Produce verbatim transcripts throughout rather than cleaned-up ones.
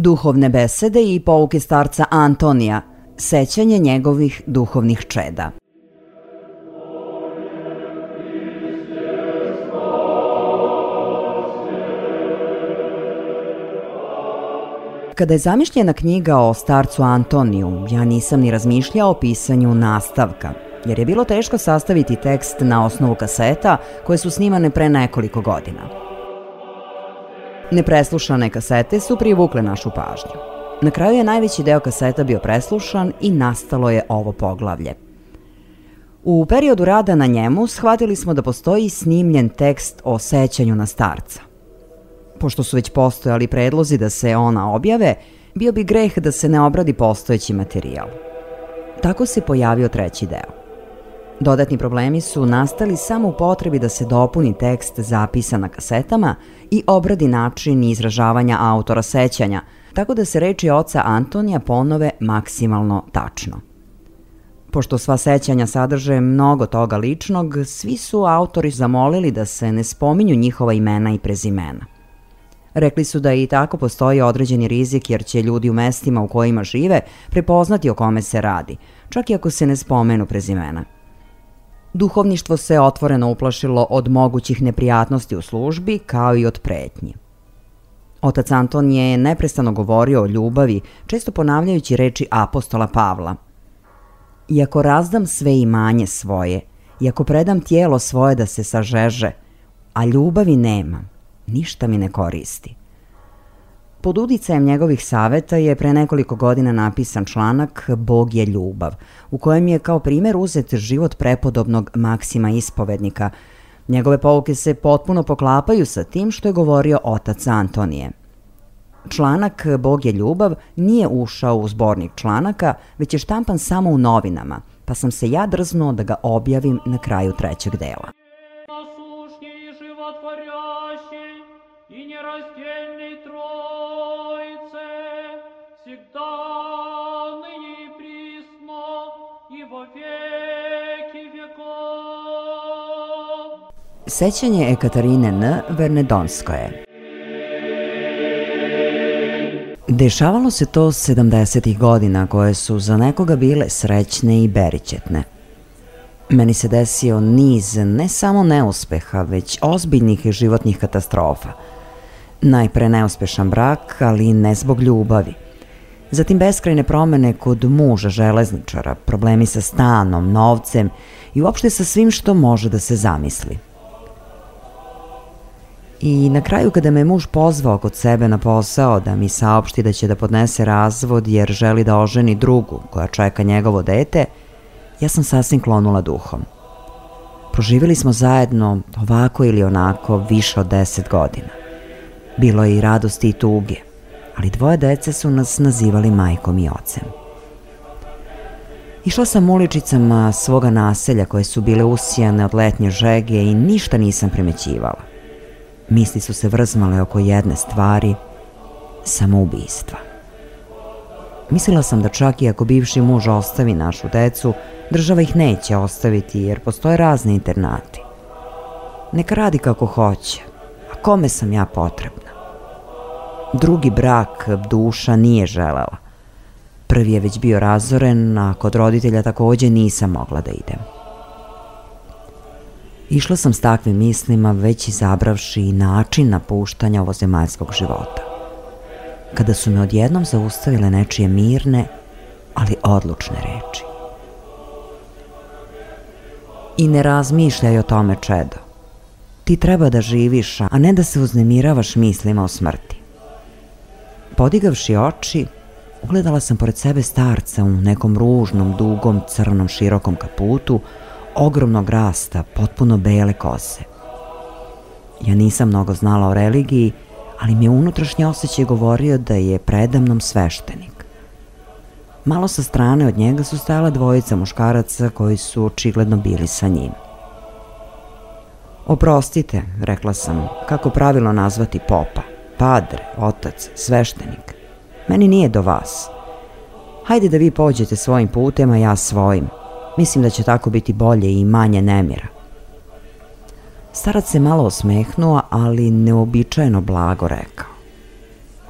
Duhovne besede i pouke starca Antonija, sećanje njegovih duhovnih čeda. Kada je zamišljena knjiga o starcu Antoniju, ja nisam ni razmišljao o pisanju nastavka, jer je bilo teško sastaviti tekst na osnovu kaseta koje su snimane pre nekoliko godina. Nepreslušane kasete su privukle našu pažnju. Na kraju je najveći deo kaseta bio preslušan i nastalo je ovo poglavlje. U periodu rada na njemu shvatili smo da postoji snimljen tekst o sećanju na starca. Pošto su već postojali predlozi da se ona objave, bio bi greh da se ne obradi postojeći materijal. Tako se pojavio treći deo. Dodatni problemi su nastali samo u potrebi da se dopuni tekst zapisan na kasetama i obradi način izražavanja autora sećanja, tako da se reči oca Antonija ponove maksimalno tačno. Pošto sva sećanja sadrže mnogo toga ličnog, svi su autori zamolili da se ne spominju njihova imena i prezimena. Rekli su da i tako postoji određeni rizik jer će ljudi u mestima u kojima žive prepoznati o kome se radi, čak i ako se ne spomenu prezimena. Duhovništvo se otvoreno uplašilo od mogućih neprijatnosti u službi, kao i od pretnji. Otac Anton je neprestano govorio o ljubavi, često ponavljajući reči apostola Pavla. Iako razdam sve imanje svoje, iako predam tijelo svoje da se sažeže, a ljubavi nemam, ništa mi ne koristi. Pod uticajem njegovih saveta je pre nekoliko godina napisan članak Bog je ljubav, u kojem je kao primer uzet život prepodobnog Maksima Ispovednika. Njegove pouke se potpuno poklapaju sa tim što je govorio otac Antonije. Članak Bog je ljubav nije ušao u zbornik članaka, već je štampan samo u novinama, pa sam se ja drznuo da ga objavim na kraju trećeg dela. Sećanje Ekaterine N. Vernedonskoje. Dešavalo se to sedamdesetih godina koje su za nekoga bile srećne i berićetne. Meni se desio niz ne samo neuspeha, već ozbiljnih životnih katastrofa. Najpre neuspešan brak, ali ne zbog ljubavi. Zatim beskrajne promene kod muža železničara, problemi sa stanom, novcem i uopšte sa svim što može da se zamisli. I na kraju kada me muž pozvao kod sebe na posao da mi saopšti da će da podnese razvod jer želi da oženi drugu koja čeka njegovo dete, ja sam sasvim klonula duhom. Proživjeli smo zajedno ovako ili onako više od deset godina. Bilo je i radosti i tuge, ali dvoje dece su nas nazivali majkom i ocem. Išla sam uličicama svoga naselja koje su bile usijane od letnje žege i ništa nisam primećivala. Misli su se vrzmale oko jedne stvari, samoubistva. Mislila sam da čak i ako bivši muž ostavi našu decu, država ih neće ostaviti jer postoje razni internati. Neka radi kako hoće, a kome sam ja potrebna? Drugi brak duša nije želela. Prvi je već bio razoren, a kod roditelja takođe nisam mogla da idem. Išla sam s takvim mislima već izabravši i način napuštanja ovozemaljskog života. Kada su me odjednom zaustavile nečije mirne, ali odlučne reči. I ne razmišljaj o tome, čedo. Ti treba da živiš, a ne da se uznemiravaš mislima o smrti. Podigavši oči, ugledala sam pored sebe starca u nekom ružnom, dugom, crnom, širokom kaputu, ogromnog rasta, potpuno bele kose. Ja nisam mnogo znala o religiji, ali mi je unutrašnji osjećaj govorio da je predamnom sveštenik. Malo sa strane od njega su stajala dvojica muškaraca koji su očigledno bili sa njim. Oprostite, rekla sam, kako pravilno nazvati popa, padre, otac, sveštenik. Meni nije do vas. Hajde da vi pođete svojim putem, a ja svojim. Mislim da će tako biti bolje i manje nemira. Starac se malo osmehnuo, ali neobičajeno blago rekao.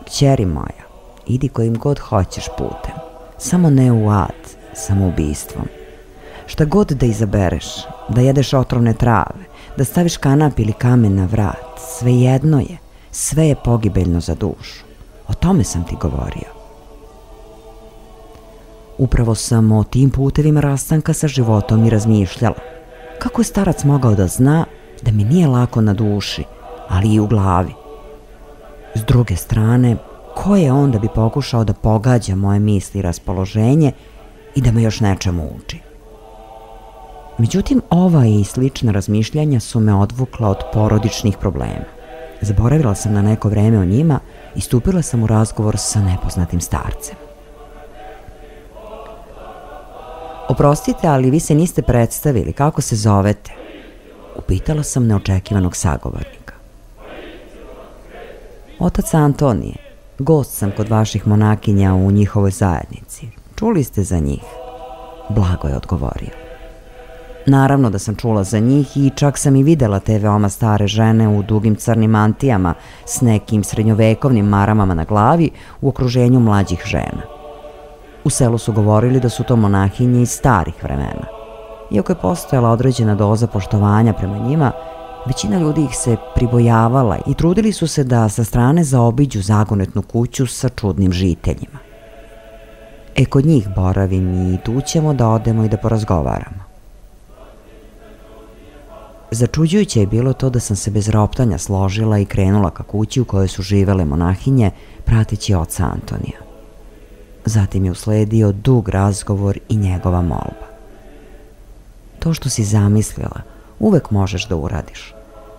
Kćeri moja, idi kojim god hoćeš putem, samo ne u ad, samoubistvom. Šta god da izabereš, da jedeš otrovne trave, da staviš kanap ili kamen na vrat, svejedno je, sve je pogibeljno za dušu. O tome sam ti govorio. Upravo sam o tim putevima rastanka sa životom i razmišljala. Kako je starac mogao da zna da mi nije lako na duši, ali i u glavi? S druge strane, ko je on da bi pokušao da pogađa moje misli i raspoloženje i da me još nečemu uči? Međutim, ova i slična razmišljanja su me odvukla od porodičnih problema. Zaboravila sam na neko vreme o njima i stupila sam u razgovor sa nepoznatim starcem. Oprostite, ali vi se niste predstavili, kako se zovete? Upitala sam neočekivanog sagovornika. Otac Antonije, gost sam kod vaših monakinja u njihovoj zajednici. Čuli ste za njih? Blago je odgovorio. Naravno da sam čula za njih i čak sam i videla te veoma stare žene u dugim crnim mantijama s nekim srednjovekovnim maramama na glavi u okruženju mlađih žena. U selu su govorili da su to monahinje iz starih vremena. Iako je postojala određena doza poštovanja prema njima, većina ljudi ih se pribojavala i trudili su se da sa strane zaobiđu zagonetnu kuću sa čudnim žiteljima. E, kod njih boravim i tu ćemo da odemo i da porazgovaramo. Začuđujuće je bilo to da sam se bez roptanja složila i krenula ka kući u kojoj su živele monahinje, prateći oca Antonija. Zatim je usledio dug razgovor i njegova molba. To što si zamislila, uvek možeš da uradiš.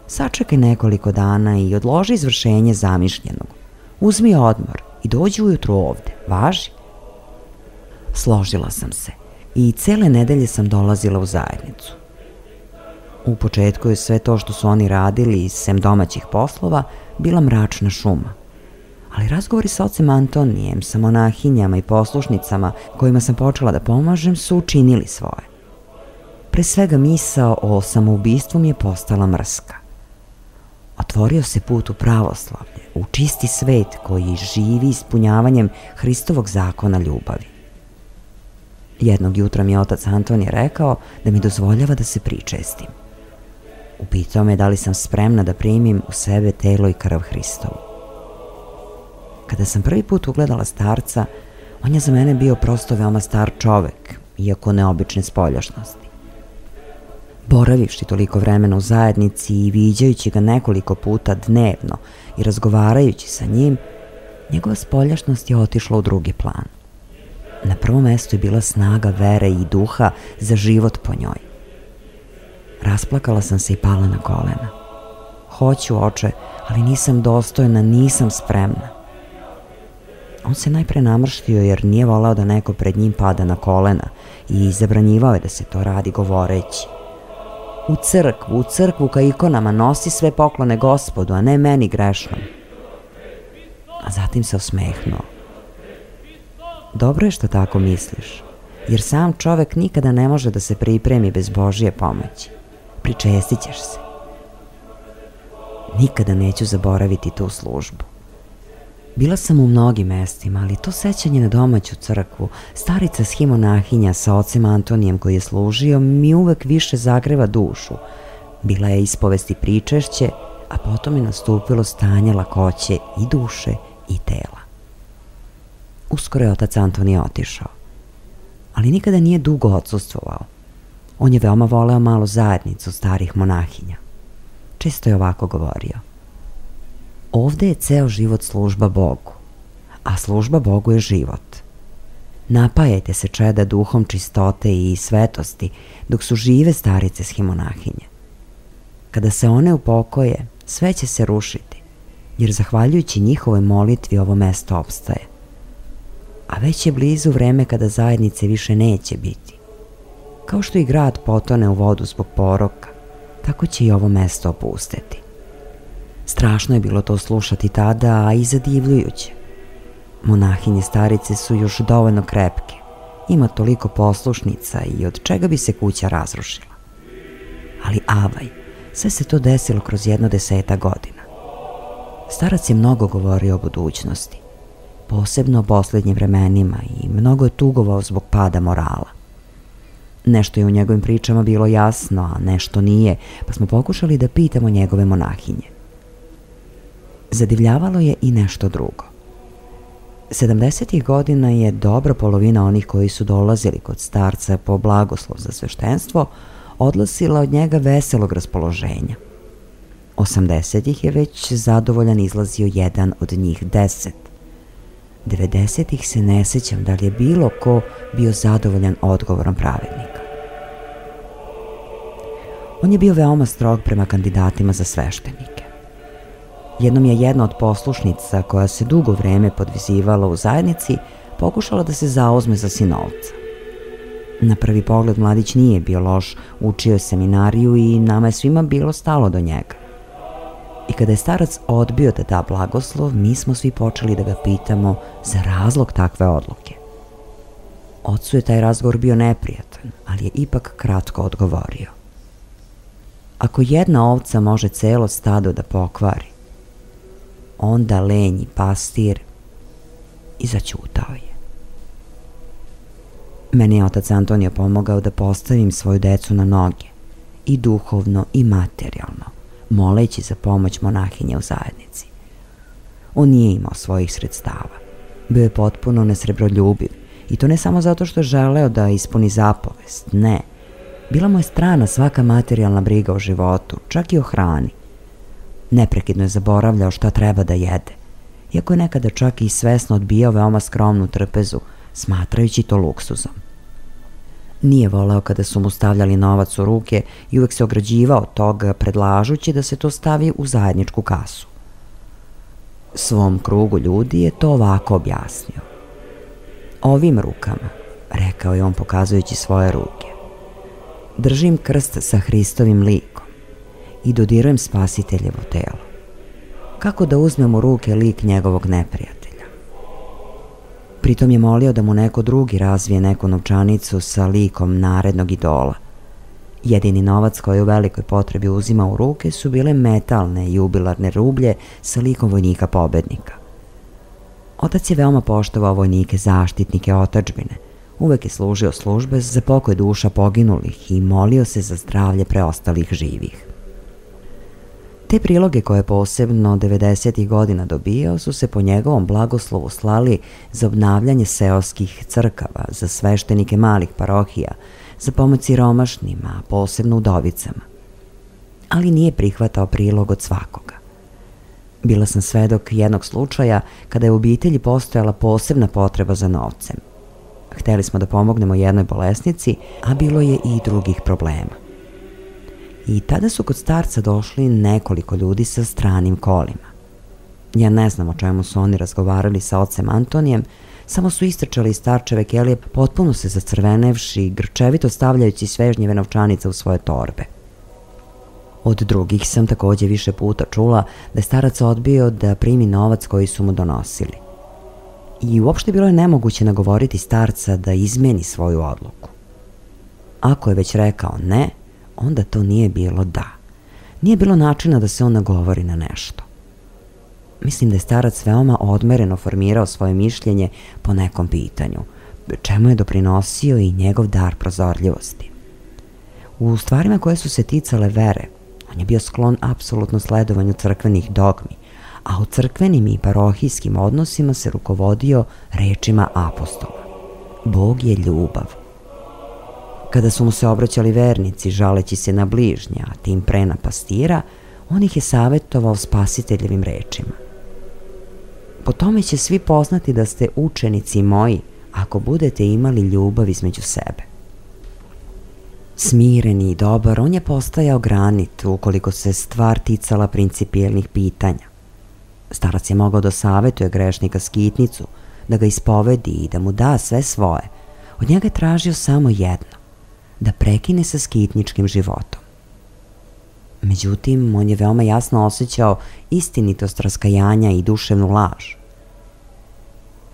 Sačekaj nekoliko dana i odloži izvršenje zamišljenog. Uzmi odmor i dođi ujutru ovde, važi? Složila sam se i cele nedelje sam dolazila u zajednicu. U početku je sve to što su oni radili, sem domaćih poslova, bila mračna šuma. Ali razgovori sa ocem Antonijem, sa monahinjama i poslušnicama kojima sam počela da pomažem su učinili svoje. Pre svega misao o samoubistvu mi je postala mrska. Otvorio se put u pravoslavlje, u čisti svet koji živi ispunjavanjem Hristovog zakona ljubavi. Jednog jutra mi je otac Antonije rekao da mi dozvoljava da se pričestim. Upitao me da li sam spremna da primim u sebe telo i krv Hristovu. Kada sam prvi put ugledala starca, on je za mene bio prosto veoma star čovek, iako neobične spoljašnosti. Boravivši toliko vremena u zajednici i viđajući ga nekoliko puta dnevno i razgovarajući sa njim, njegova spoljašnost je otišla u drugi plan. Na prvom mestu je bila snaga vere i duha za život po njoj. Rasplakala sam se i pala na kolena. Hoću, oče, ali nisam dostojna, nisam spremna. On se najpre namrštio jer nije voleo da neko pred njim pada na kolena i zabranjivao je da se to radi govoreći: u crkvu, u crkvu ka ikonama nosi sve poklone Gospodu, a ne meni grešnom. A zatim se osmehnuo. Dobro je što tako misliš, jer sam čovek nikada ne može da se pripremi bez Božije pomoći. Pričestit ćeš se. Nikada neću zaboraviti tu službu. Bila sam u mnogim mestima, ali to sećanje na domaću crkvu, starica shimonahinja sa ocem Antonijem koji je služio, mi uvek više zagreva dušu. Bila je ispovest i pričešće, a potom je nastupilo stanje lakoće i duše i tela. Uskoro je otac Antonije otišao, ali nikada nije dugo odsustvovao. On je veoma voleo malu zajednicu starih monahinja. Često je ovako govorio: ovde je ceo život služba Bogu, a služba Bogu je život. Napajajte se, čeda, duhom čistote i svetosti dok su žive starice shimonahinje. Kada se one upokoje, sve će se rušiti, jer zahvaljujući njihovoj molitvi ovo mesto opstaje. A već je blizu vreme kada zajednice više neće biti. Kao što i grad potone u vodu zbog poroka, tako će i ovo mesto opusteti. Strašno je bilo to slušati tada, a i zadivljujuće. Monahinje starice su još dovoljno krepke, ima toliko poslušnica i od čega bi se kuća razrušila. Ali avaj, sve se to desilo kroz jedno deseta godina. Starac je mnogo govorio o budućnosti. posebno u posljednjim vremenima, i mnogo je tugovao zbog pada morala. Nešto je u njegovim pričama bilo jasno, a nešto nije, pa smo pokušali da pitamo njegove monahinje. Zadivljavalo je i nešto drugo. sedamdesetih godina je dobra polovina onih koji su dolazili kod starca po blagoslov za sveštenstvo odlasila od njega veselog raspoloženja. osamdesetih je već zadovoljan izlazio jedan od njih deset. devedesetih se ne sećam da li je bilo ko bio zadovoljan odgovorom pravednika. On je bio veoma strog prema kandidatima za sveštenike. Jednom je jedna od poslušnica, koja se dugo vreme podvizivala u zajednici, pokušala da se zauzme za sinovca. Na prvi pogled mladić nije bio loš, učio je seminariju i nama je svima bilo stalo do njega. I kada je starac odbio da da blagoslov, mi smo svi počeli da ga pitamo za razlog takve odluke. Ocu je taj razgovor bio neprijatan, ali je ipak kratko odgovorio. Ako jedna ovca može celo stado da pokvari, onda lenji pastir, i zaćutao je. Meni je otac Antonio pomogao da postavim svoju decu na noge, i duhovno i materijalno, moleći za pomoć monahinje u zajednici. On nije imao svojih sredstava. Bio je potpuno nesrebroljubiv, i to ne samo zato što je želeo da ispuni zapovest, ne. Bila mu je strana svaka materijalna briga o životu, čak i o hrani. Neprekidno je zaboravljao šta treba da jede, iako je nekada čak i svesno odbijao veoma skromnu trpezu, smatrajući to luksuzom. Nije voleo kada su mu stavljali novac u ruke i uvek se ograđivao od toga, predlažući da se to stavi u zajedničku kasu. Svom krugu ljudi je to ovako objasnio. Ovim rukama, rekao je on pokazujući svoje ruke, držim krst sa Hristovim likom i dodirujem Spasiteljevo telo. Kako da uzmem u ruke lik njegovog neprijatelja? Pritom je molio da mu neko drugi razvije neku novčanicu sa likom narednog idola. Jedini novac koji u velikoj potrebi uzima u ruke su bile metalne jubilarne rublje sa likom vojnika pobednika. Otac je veoma poštovao vojnike zaštitnike otadžbine, uvek je služio službe za pokoj duša poginulih i molio se za zdravlje preostalih živih. Te priloge koje je posebno devedesetih godina dobijao su se po njegovom blagoslovu slali za obnavljanje seoskih crkava, za sveštenike malih parohija, za pomoć siromašnima, posebno udovicama. Ali nije prihvatao prilog od svakoga. Bila sam svedok jednog slučaja kada je u obitelji postojala posebna potreba za novcem. Hteli smo da pomognemo jednoj bolesnici, a bilo je i drugih problema. I tada su kod starca došli nekoliko ljudi sa stranim kolima. Ja ne znam o čemu su oni razgovarali sa ocem Antonijem, samo su istrčali iz starčeve kelije, potpuno se zacrvenevši, grčevito stavljajući svežnjeve novčanice u svoje torbe. Od drugih sam takođe više puta čula da je starac odbio da primi novac koji su mu donosili. I uopšte bilo je nemoguće nagovoriti starca da izmeni svoju odluku. Ako je već rekao ne, onda to nije bilo da. Nije bilo načina da se on nagovori na nešto. Mislim da je starac veoma odmereno formirao svoje mišljenje po nekom pitanju, čemu je doprinosio i njegov dar prozorljivosti. U stvarima koje su se ticale vere, on je bio sklon apsolutno sledovanju crkvenih dogmi, a u crkvenim i parohijskim odnosima se rukovodio rečima apostola. Bog je ljubav. Kada su mu se obraćali vernici, žaleći se na bližnja, a tim pre na pastira, on ih je savetovao Spasiteljevim rečima. Po tome će svi poznati da ste učenici moji, ako budete imali ljubav između sebe. Smireni i dobar, on je postajao granit ukoliko se stvar ticala principijelnih pitanja. Starac je mogao da savetuje grešnika skitnicu, da ga ispovedi i da mu da sve svoje. Od njega je tražio samo jedno, da prekine sa skitničkim životom. Međutim, on je veoma jasno osjećao istinitost raskajanja i duševnu laž.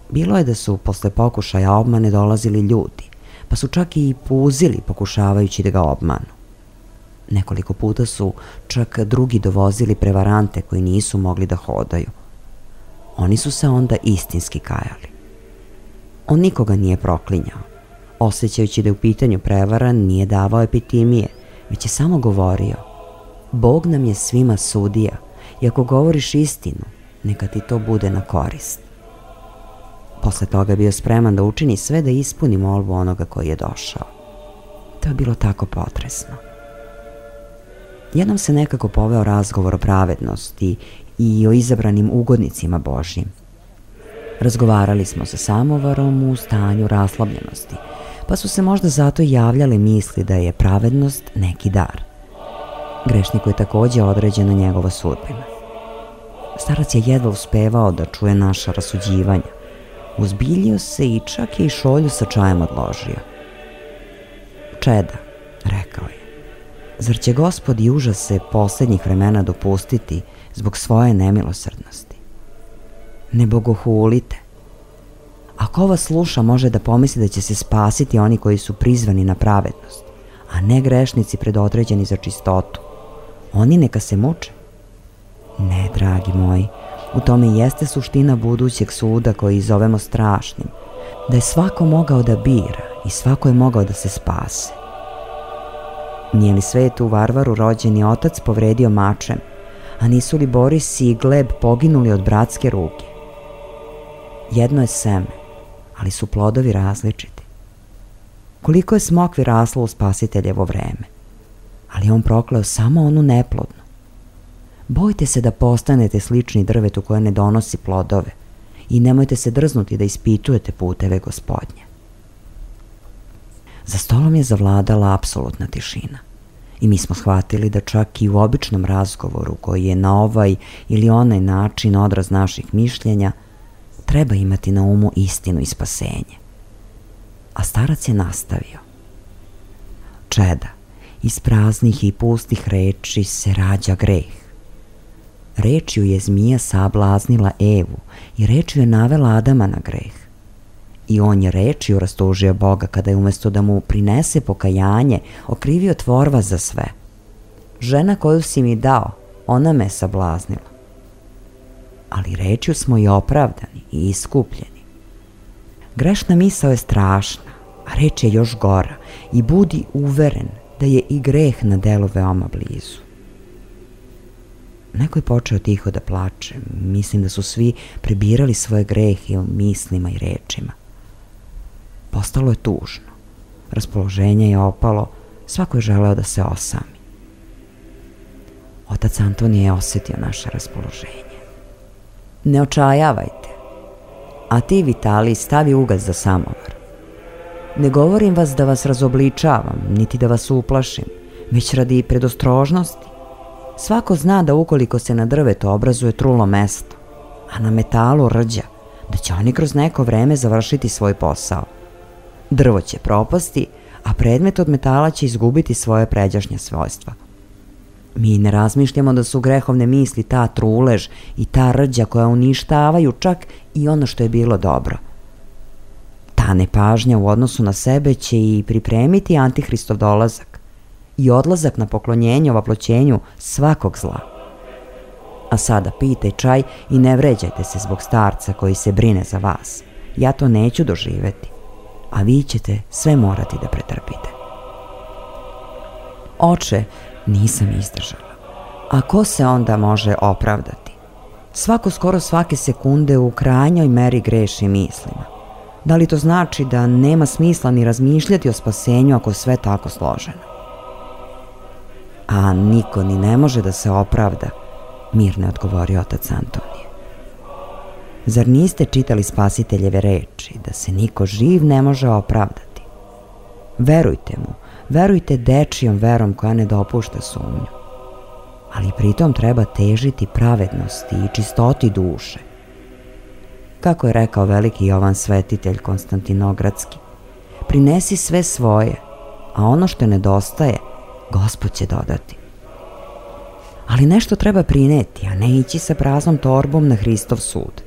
Bilo je da su posle pokušaja obmane dolazili ljudi, pa su čak i puzili pokušavajući da ga obmanu. Nekoliko puta su čak drugi dovozili prevarante koji nisu mogli da hodaju. oni su se onda istinski kajali. On nikoga nije proklinjao. Osjećajući da je u pitanju prevara, nije davao epitimije, već je samo govorio: Bog nam je svima sudija i ako govoriš istinu, neka ti to bude na korist. Posle toga je bio spreman da učini sve da ispuni molbu onoga koji je došao. To je bilo tako potresno. Jednom se nekako poveo razgovor o pravednosti i o izabranim ugodnicima Božjim. Razgovarali smo sa samovarom u stanju raslobljenosti, pa su se možda zato javljale misli da je pravednost neki dar. Grešniku je takođe određena njegova sudbina. Starac je jedva uspevao da čuje naša rasuđivanja. Uzbiljio se i čak je i šolju sa čajem odložio. Čeda, rekao je, zar će Gospod i užase poslednjih vremena dopustiti zbog svoje nemilosrdnosti? Ne bogohulite. Ako vas sluša, može da pomisli da će se spasiti oni koji su prizvani na pravednost, a ne grešnici predodređeni za čistotu. Oni neka se muče. Ne, dragi moji, u tome jeste suština budućeg suda koji zovemo strašnim, da je svako mogao da bira i svako je mogao da se spase. Nije li svetu Varvaru rođeni otac povredio mačem, a nisu li Boris i Gleb poginuli od bratske ruke? Jedno je seme, ali su plodovi različiti. Koliko je smokvi raslo u Spasiteljevo vreme, ali on prokleo samo onu neplodnu. Bojte se da postanete slični drvetu koje ne donosi plodove i nemojte se drznuti da ispitujete puteve Gospodnje. Za stolom je zavladala apsolutna tišina i mi smo shvatili da čak i u običnom razgovoru koji je na ovaj ili onaj način odraz naših mišljenja treba imati na umu istinu i spasenje. A starac je nastavio: Čeda, iz praznih i pustih reči se rađa greh. Rečju je zmija sablaznila Evu i rečju je navela Adama na greh. I on je rečju rastužio Boga kada je umesto da mu prinese pokajanje okrivio tvorva za sve. Žena koju si mi dao, ona me sablaznila. Ali rečju smo i opravdani i iskupljeni. Grešna misao je strašna, a reč je još gora i budi uveren da je i greh na delu veoma blizu. Neko je počeo tiho da plače. Mislim da su svi prebirali svoje grehe u mislima i rečima. Postalo je tužno. Raspoloženje je opalo. Svako je želeo da se osami. Otac Antonije je osjetio naše raspoloženje. Ne očajavajte. A ti, Vitalij, stavi ugas za samovar. Ne govorim vas da vas razobličavam, niti da vas uplašim, već radi predostrožnosti. Svako zna da ukoliko se na drvetu obrazuje trulo mesto, a na metalu rđa, da će oni kroz neko vreme završiti svoj posao. Drvo će propasti, a predmet od metala će izgubiti svoje pređašnje svojstva. Mi ne razmišljamo da su grehovne misli ta trulež i ta rđa koja uništavaju čak i ono što je bilo dobro. Ta nepažnja u odnosu na sebe će i pripremiti Antihristov dolazak i odlazak na poklonjenje ovaploćenju svakog zla. A sada pijte čaj i ne vređajte se zbog starca koji se brine za vas. Ja to neću doživeti, a vi ćete sve morati da pretrpite. Oče, nisam izdržala. A ko se onda može opravdati? Svako skoro svake sekunde u krajnjoj meri greši mislima. Da li to znači da nema smisla ni razmišljati o spasenju ako je sve tako složeno? A niko ni ne može da se opravda, mirno je odgovorio otac Antonije. Zar niste čitali Spasiteljeve reči da se niko živ ne može opravdati? Verujte mu, verujte dečijom verom koja ne dopušta sumnju. Ali pritom treba težiti pravednosti i čistoti duše. Kako je rekao veliki Jovan Svetitelj Konstantinogradski, prinesi sve svoje, a ono što nedostaje, Gospod će dodati. Ali nešto treba prineti, a ne ići sa praznom torbom na Hristov sud.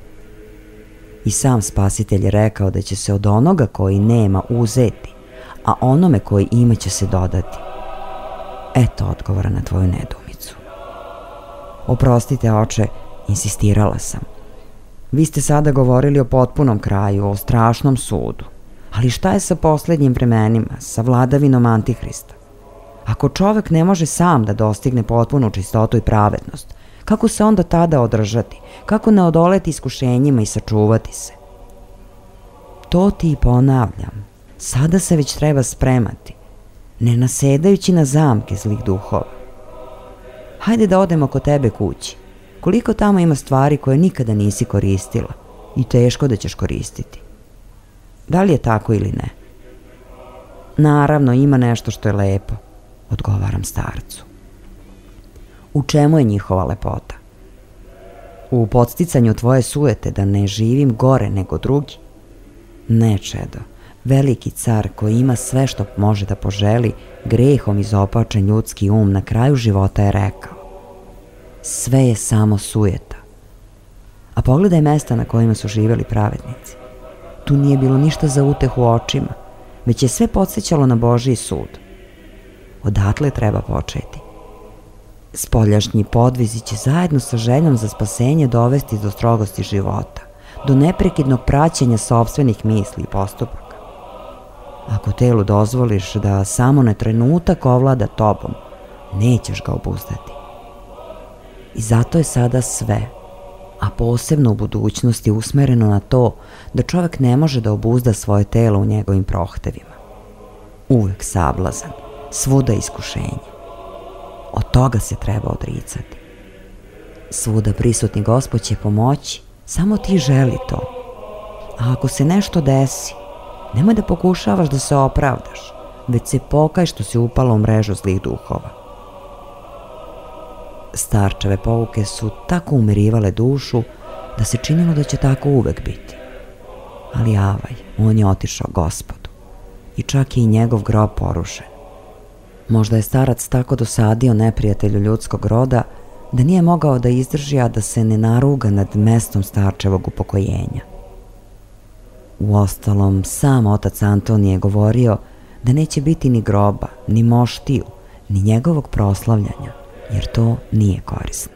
I sam Spasitelj je rekao da će se od onoga koji nema uzeti, a onome koji ima će se dodati. Eto odgovora na tvoju nedumicu. Oprostite, oče, insistirala sam. Vi ste sada govorili o potpunom kraju, o strašnom sudu. Ali šta je sa poslednjim vremenima, sa vladavinom Antihrista? Ako čovek ne može sam da dostigne potpunu čistotu i pravednost, kako se onda tada održati? Kako ne odoleti iskušenjima i sačuvati se? To ti i ponavljam. Sada se već treba spremati, ne nasedajući na zamke zlih duhova. Hajde da odemo kod tebe kući. Koliko tamo ima stvari koje nikada nisi koristila i teško da ćeš koristiti. Da li je tako ili ne? Naravno, ima nešto što je lepo, odgovaram starcu. U čemu je njihova lepota? U podsticanju tvoje sujete da ne živim gore nego drugi? Ne, čedo. Veliki car koji ima sve što može da poželi, grehom izopačen ljudski um, na kraju života je rekao: sve je samo sujeta. A pogledaj mesta na kojima su živeli pravednici. Tu nije bilo ništa za utehu očima, već je sve podsjećalo na Božji sud. Odatle treba početi. Spoljašnji podvizi će zajedno sa željom za spasenje dovesti do strogosti života, do neprekidnog praćenja sopstvenih misli i postupaka. Ako telu dozvoliš da samo na trenutak ovlada tobom, nećeš ga obuzdati. I zato je sada sve, a posebno u budućnosti, usmereno na to da čovjek ne može da obuzda svoje telo u njegovim prohtevima. Uvek sablazan, svuda iskušenje. Od toga se treba odricati. Svuda prisutni Gospod će pomoći, samo ti želi to. A ako se nešto desi, nemoj da pokušavaš da se opravdaš, već se pokaj što si upala u mrežu zlih duhova. Starčeve pouke su tako umirivale dušu da se činilo da će tako uvek biti. Ali avaj, on je otišao Gospodu i čak je i njegov grob porušen. Možda je starac tako dosadio neprijatelju ljudskog roda da nije mogao da izdrži, a da se ne naruga nad mestom starčevog upokojenja. Uostalom, sam otac Antonije je govorio da neće biti ni groba, ni moštiju, ni njegovog proslavljanja, jer to nije korisno.